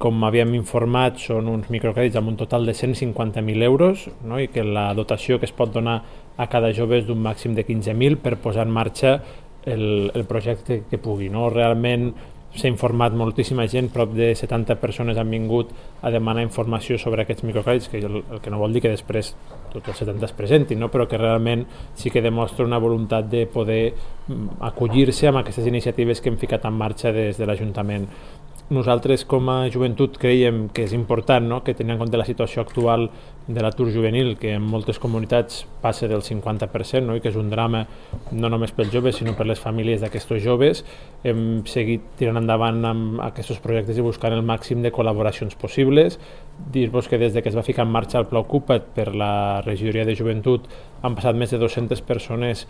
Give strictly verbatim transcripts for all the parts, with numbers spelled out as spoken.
Com havíem informat, són uns microcrèdits amb un total de cent cinquanta mil euros, no? I que la dotació que es pot donar a cada jove és d'un màxim de quinze mil per posar en marxa el, el projecte que pugui. No? Realment s'ha informat moltíssima gent, prop de setanta persones han vingut a demanar informació sobre aquests microcrèdits, que el, el que no vol dir que després tots els setanta es presentin, no? Però que realment sí que demostra una voluntat de poder acollir-se amb aquestes iniciatives que hem ficat en marxa des de l'Ajuntament. Nosaltres com a joventut creiem que és important, no? Que tenint en compte la situació actual de l'atur juvenil, que en moltes comunitats passa del cinquanta per cent, no? I que és un drama no només pels joves sinó per les famílies d'aquests joves, hem seguit tirant endavant amb aquests projectes i buscant el màxim de col·laboracions possibles. Dir-vos que des de que es va ficar en marxa el Pla Ocupa't per la regidoria de joventut han passat més de dues-centes persones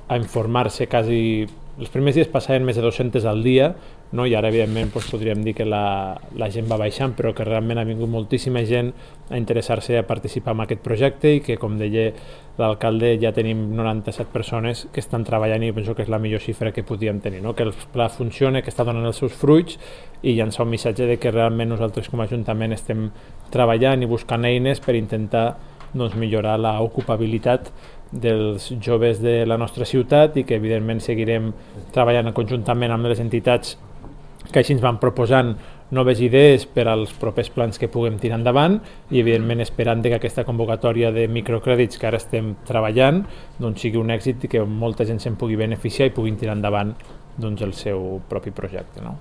a informar-se quasi. Els primers dies passaven més de dues-centes al dia, no? I ara evidentment doncs, podríem dir que la, la gent va baixant, però que realment ha vingut moltíssima gent a interessar-se a participar en aquest projecte i que, com deia l'alcalde, ja tenim noranta-set persones que estan treballant i penso que és la millor xifra que podíem tenir, no? Que el pla funciona, que està donant els seus fruits i llançar un missatge de que realment nosaltres com a Ajuntament estem treballant i buscant eines per intentar doncs, millorar l'ocupabilitat dels joves de la nostra ciutat i que evidentment seguirem treballant conjuntament amb les entitats que així ens van proposant noves idees per als propers plans que puguem tirar endavant i evidentment esperant que aquesta convocatòria de microcrèdits que ara estem treballant doncs, sigui un èxit i que molta gent se'n pugui beneficiar i puguin tirar endavant doncs, el seu propi projecte. No?